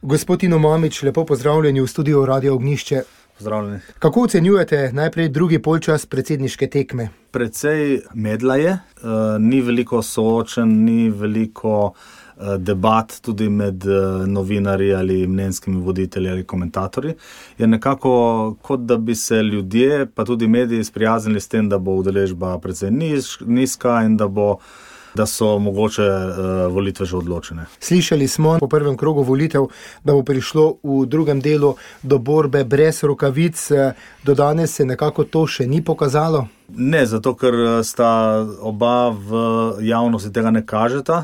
Gospod Tino Mamić, lepo pozdravljeni v studiu Radio Ognjišče. Pozdravljeni. Kako ocenjujete najprej drugi polčas predsedniške tekme? Precej medla je, ni veliko soočen, ni veliko debat tudi med novinarji ali mnenjskimi voditelji ali komentatorji. Je nekako kot da bi se ljudje, pa tudi mediji sprijaznili s tem, da bo udeležba precej nizka in da so mogoče volitve že odločene. Slišali smo po prvem krogu volitev, da bo prišlo v drugem delu do borbe brez rokavic. Do danes se nekako to še ni pokazalo? Ne, zato ker sta oba v javnosti tega ne kažeta,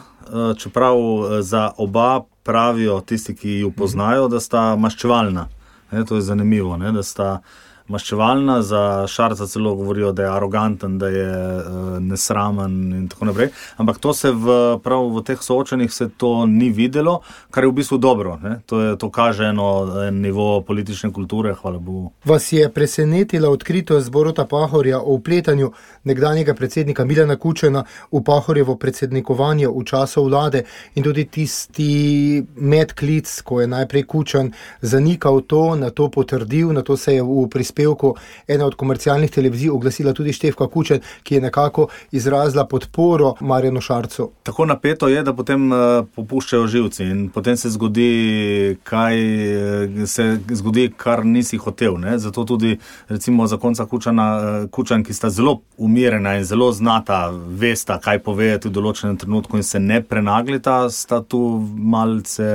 čeprav za oba pravijo tisti, ki ju poznajo, da sta maščevalna. To je zanimivo, da sta maščevalna, za Šarca celo govorijo, da je aroganten, da je nesramen in tako naprej. Ampak to se prav v teh soočenjih se to ni videlo, kar je v bistvu dobro. To kaže en nivo politične kulture, hvala Bogu. Vas je presenetila odkritost Boruta Pahorja o vpletanju nekdanjega predsednika Milana Kučana v Pahorjevo predsednikovanje v času vlade in tudi tisti medklic, ko je najprej Kučan zanikal to, na to potrdil, na to se je v prispevku ena od komercialnih televizij oglasila tudi Štefka Kučan, ki je nekako izrazila podporo Marjanu Šarcu. Tako napeto je, da potem popuščajo živci in potem se zgodi, kar nisi hotel. Zato tudi recimo zakonca Kučan, ki sta zelo umirjena in zelo znata, vesta, kaj povedati v določenem trenutku in se ne prenaglita, sta tu malce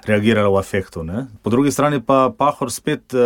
reagirala v afektu. Po drugi strani pa Pahor spet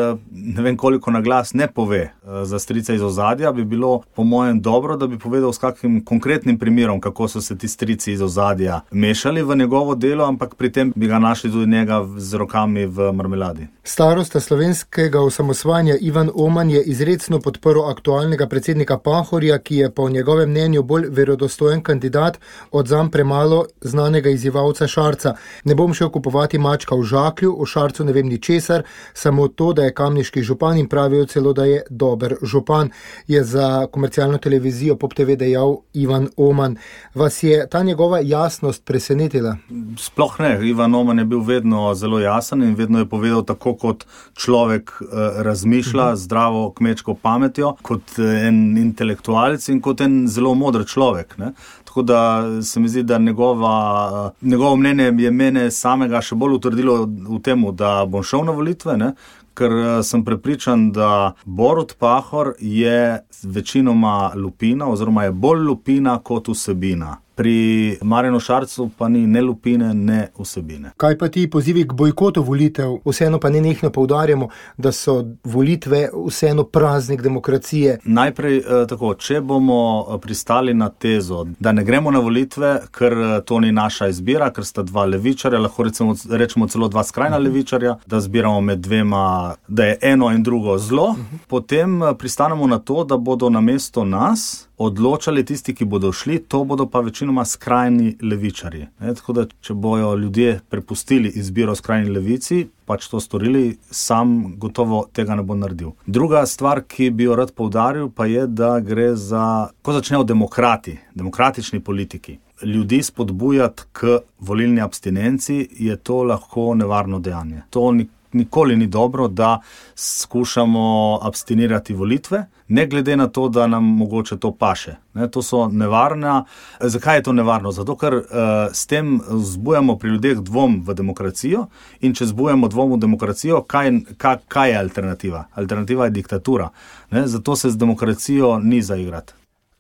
ne vem koliko na glas ne pove za strica iz ozadja, bi bilo po mojem dobro, da bi povedal s kakšnim konkretnim primerom, kako so se ti strici iz ozadja mešali v njegovo delo, ampak pri tem bi ga našli tudi njega z rokami v marmeladi. Starosta slovenskega osamosvajanja Ivan Oman je izrecno podprl aktualnega predsednika Pahorja, ki je po njegovem mnenju bolj verodostojen kandidat od zanj premalo znanega izzivalca Šarca. Ne bom šel kupovati mačka v žaklju, o Šarcu ne vem ničesar, samo to, da je kamniški župan in pravijo celo, da je dober župan, je za komercialno televizijo Pop TV dejal Ivan Oman. Vas je ta njegova jasnost presenetila? Sploh ne. Ivan Oman je bil vedno zelo jasen in vedno je povedal tako, kot človek razmišlja, zdravo kmečko pametjo, kot en intelektualec in kot en zelo moder človek. Tako da se mi zdi, da njegovo mnenje je mene samega še bolj utrdilo v temu, da bom šel na volitve, ker sem prepričan, da Borut Pahor je večinoma lupina oziroma je bolj lupina kot vsebina. Pri Marjanu Šarcu pa ni ne lupine, ne vsebine. Kaj pa ti pozivi k bojkotu volitev? Vseeno pa nenehno poudarjamo, da so volitve vseeno praznik demokracije. Najprej tako, če bomo pristali na tezo, da ne gremo na volitve, ker to ni naša izbira, ker sta dva levičarja, lahko rečemo celo dva skrajna levičarja, da zbiramo med dvema, da je eno in drugo zlo, potem pristanemo na to, da bodo namesto nas odločali tisti, ki bodo šli, to bodo pa večinoma skrajni levičarji. Tako da, če bojo ljudje prepustili izbiro skrajni levici, pač to storili, sam gotovo tega ne bo naredil. Druga stvar, ki bi jo rad poudaril, pa je, da gre za, ko začnejo demokratični politiki, ljudi spodbujati k volilni abstinenci, je to lahko nevarno dejanje. To nikoli ni dobro, da skušamo abstinirati volitve, ne glede na to, da nam mogoče to paše. To so nevarna. Zakaj je to nevarno? Zato, ker s tem vzbujamo pri ljudeh dvom v demokracijo in če vzbujamo dvom v demokracijo, kaj je alternativa? Alternativa je diktatura. Zato se z demokracijo ni zaigrati.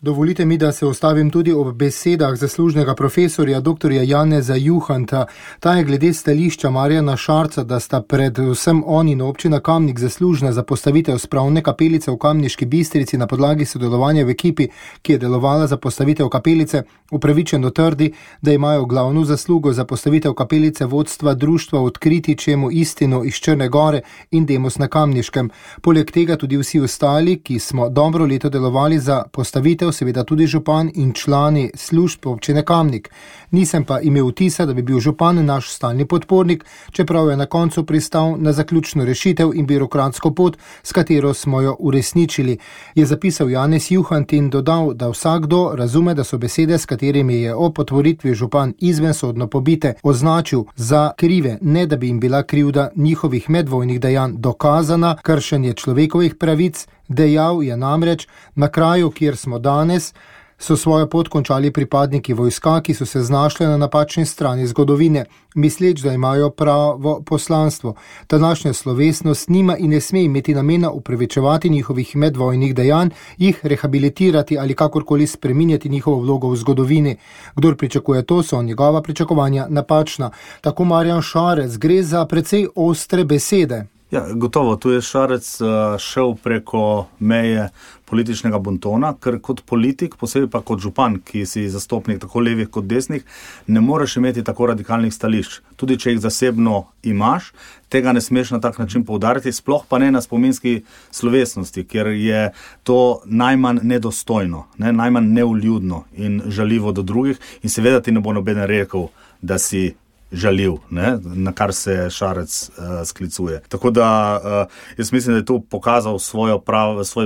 Dovolite mi, da se ostavim tudi ob besedah zaslužnega profesorja dr. Janeza Juhanta. Ta je glede stališča Marjana Šarca, da sta predvsem on in občina Kamnik zaslužna za postavitev spravne kapelice v Kamniški Bistrici na podlagi sodelovanja v ekipi, ki je delovala za postavitev kapelice, upravičeno trdi, da imajo glavno zaslugo za postavitev kapelice vodstva društva Odkriti čemu istino iz Črne Gore in Demos na Kamniškem. Poleg tega tudi vsi ostali, ki smo dobro leto delovali za postavitev Ptuju, seveda tudi župan in člani služb občine Kamnik. Nisem pa imel vtisa, da bi bil župan naš stalni podpornik, čeprav je na koncu pristal na zaključno rešitev in birokratsko pot, s katero smo jo uresničili, je zapisal Janez Juhant in dodal, da vsakdo razume, da so besede, s katerimi je o potvoritvi župan izvensodno pobite, označil za krive, ne da bi jim bila krivda njihovih medvojnih dejanj dokazana, kršenje človekovih pravic. Dejal je namreč, na kraju, kjer smo danes, so svojo pot končali pripadniki vojska, ki so se znašli na napačni strani zgodovine, misleč, da imajo pravo poslanstvo. Današnja slovesnost nima in ne sme imeti namena upravičevati njihovih medvojnih dejanj, jih rehabilitirati ali kakorkoli spreminjati njihovo vlogo v zgodovini. Kdor pričakuje to, so njegova pričakovanja napačna. Tako Marjan Šarec, gre za precej ostre besede. Ja, gotovo, tu je Šarec šel preko meje političnega bontona, ker kot politik, posebej pa kot župan, ki si zastopnik tako levih kot desnih, ne moreš imeti tako radikalnih stališč. Tudi če jih zasebno imaš, tega ne smeš na tak način poudariti, sploh pa ne na spominski slovesnosti, ker je to najmanj nedostojno, najmanj neuljudno in žaljivo do drugih in seveda ti ne bo noben rekel, da si žaljiv, na kar se Šarec sklicuje. Tako da jaz mislim, da je tu pokazal svoj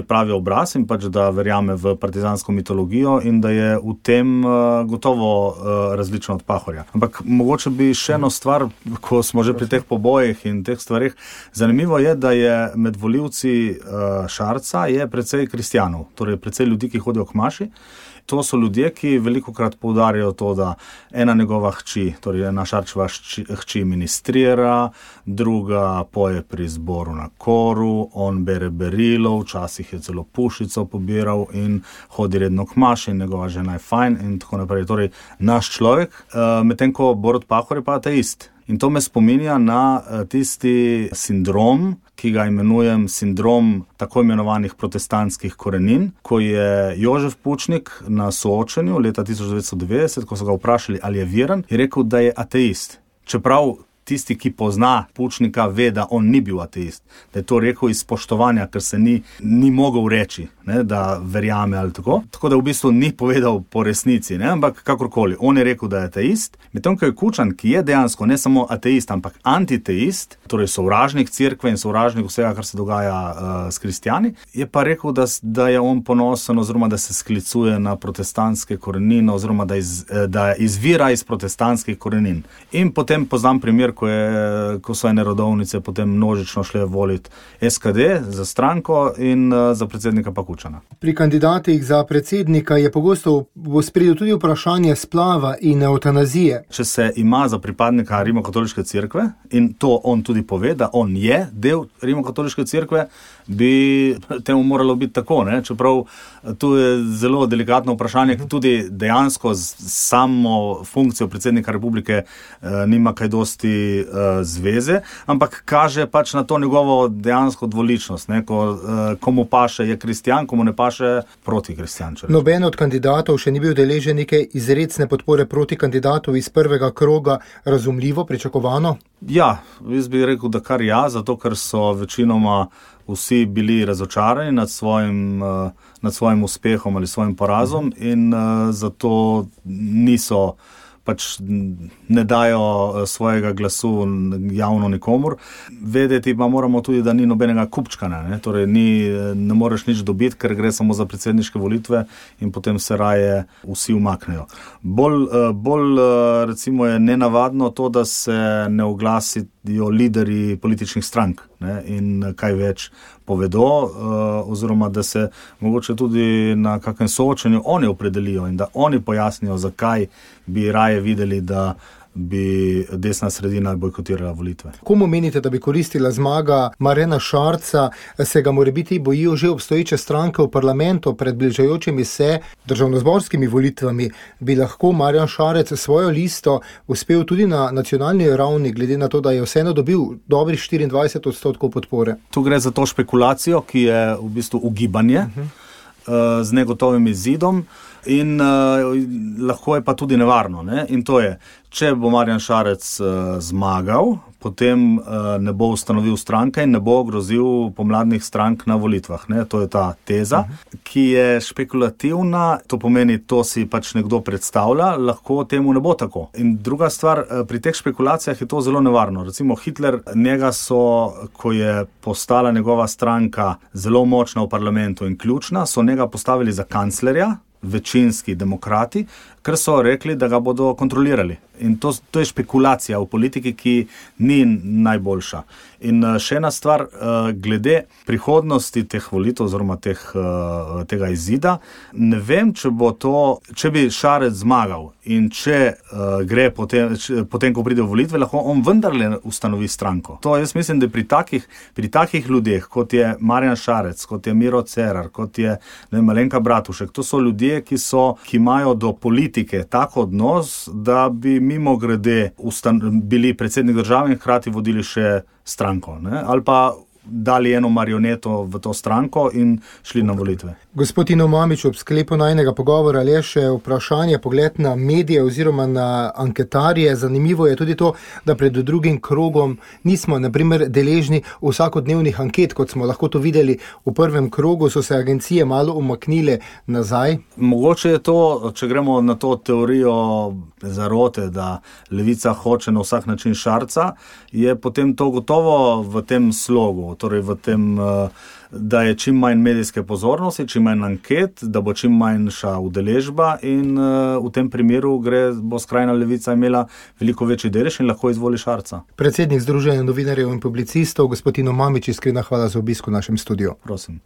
pravi obraz in pač, da verjame v partizansko mitologijo in da je v tem gotovo različno od Pahorja. Ampak mogoče bi še eno stvar, ko smo že pri teh pobojih in teh stvarih, zanimivo je, da je med volivci Šarca je precej kristjanov, torej precej ljudi, ki hodijo k maši. To so ljudje, ki velikokrat poudarjajo to, da ena njegova hči, torej ena Šarčeva hči ministrira, druga poje pri zboru na koru, on bere berilo, včasih je celo pušico pobiral in hodi redno k maši in njegova žena je fajn in tako naprej. Torej naš človek, medtem ko Borut Pahor je pa ateist. In to me spominja na tisti sindrom, ki ga imenujem sindrom tako imenovanih protestantskih korenin, ko je Jožef Pučnik na soočenju leta 1990, ko so ga vprašali, ali je veren, je rekel, da je ateist. Čeprav tisti, ki pozna Pučnika, ve, da on ni bil ateist. Da je to rekel iz spoštovanja, ker se ni mogel reči, da verjame ali tako. Tako da v bistvu ni povedal po resnici, ampak kakorkoli. On je rekel, da je ateist. Medtem ko je Kučan, ki je dejansko ne samo ateist, ampak antiteist, torej sovražnik cerkve in sovražnik vsega, kar se dogaja s kristjani, je pa rekel, da je on ponosen oziroma da se sklicuje na protestantske korenine oziroma da izvira iz protestantskih korenin. In potem poznam primer, ko so ene rodovnice potem množično šle voliti SKD za stranko in za predsednika pa Kučana. Pri kandidatih za predsednika je pogosto v ospredju tudi vprašanje splava in eutanazije. Če se ima za pripadnika Rimokatoliške cerkve, in to on tudi pove, da on je del Rimokatoliške cerkve, bi temu moralo biti tako, čeprav tu je zelo delikatno vprašanje, tudi dejansko samo funkcijo predsednika republike nima kaj dosti zveze, ampak kaže pač na to njegovo dejansko dvoličnost. Komu paše je kristjan, komu ne paše proti kristjan. Noben od kandidatov še ni bil deležen neke izrecne podpore proti kandidatu iz prvega kroga, razumljivo, pričakovano? Ja, jaz bi rekel, da kar ja, zato ker so večinoma vsi bili razočarani nad svojim uspehom ali svojim porazom in zato niso pač ne dajo svojega glasu javno nikomur. Vedeti pa moramo tudi, da ni nobenega kupčkana, torej ne moreš nič dobiti, ker gre samo za predsedniške volitve in potem se raje vsi umaknejo. Bolj recimo je nenavadno to, da se ne oglasijo lideri političnih strank in kaj več povedo, oziroma da se mogoče tudi na kakem soočenju oni opredelijo in da oni pojasnijo, zakaj bi raje videli, da bi desna sredina bojkotirala volitve. Komu menite, da bi koristila zmaga Marjana Šarca? Se ga morebiti bojijo že obstoječe stranke v parlamentu pred bližajočimi se državnozborskimi volitvami? Bi lahko Marjan Šarec svojo listo uspel tudi na nacionalni ravni, glede na to, da je vseeno dobil dobrih 24% podpore? Tu gre za to špekulacijo, ki je v bistvu ugibanje z negotovim izidom. In lahko je pa tudi nevarno. In to je, če bo Marjan Šarec zmagal, potem ne bo ustanovil stranke in ne bo grozil pomladnih strank na volitvah. Ne? To je ta teza, ki je špekulativna, to pomeni, to si pač nekdo predstavlja, lahko temu ne bo tako. In druga stvar, pri teh špekulacijah je to zelo nevarno. Recimo Hitler, njega so, ko je postala njegova stranka zelo močna v parlamentu in ključna, so njega postavili za kanclerja, večinski demokrati, ker so rekli, da ga bodo kontrolirali. In to je špekulacija v politiki, ki ni najboljša. In še ena stvar, glede prihodnosti teh volitev oziroma tega izida, ne vem, če bi Šarec zmagal in če gre potem, ko pride v volitve, lahko on vendarle ustanovi stranko. To jaz mislim, da pri takih ljudeh, kot je Marjan Šarec, kot je Miro Cerar, kot je Alenka Bratušek, to so ljudje, ki imajo do politike tak odnos, da bi mimo grede bili predsednik države in hkrati vodili še stranko, ne? Ali pa dali eno marioneto v to stranko in šli na volitve. Gospod Tino Mamić, ob sklepu najnega pogovora le še vprašanje, pogled na medije oziroma na anketarje. Zanimivo je tudi to, da pred drugim krogom nismo, na primer, deležni vsakodnevnih anket, kot smo lahko to videli v prvem krogu, so se agencije malo umaknile nazaj. Mogoče je to, če gremo na to teorijo zarote, da levica hoče na vsak način Šarca, je potem to gotovo v tem slogu, torej v tem, da je čim manj medijske pozornosti, čim manj anket, da bo čim manjša udeležba in v tem primeru bo skrajna levica imela veliko večji delež in lahko izvoli Šarca. Predsednik Združenja novinarjev in publicistov, gospod Tino Mamić, iskrena hvala za obisk v našem studiu. Prosim.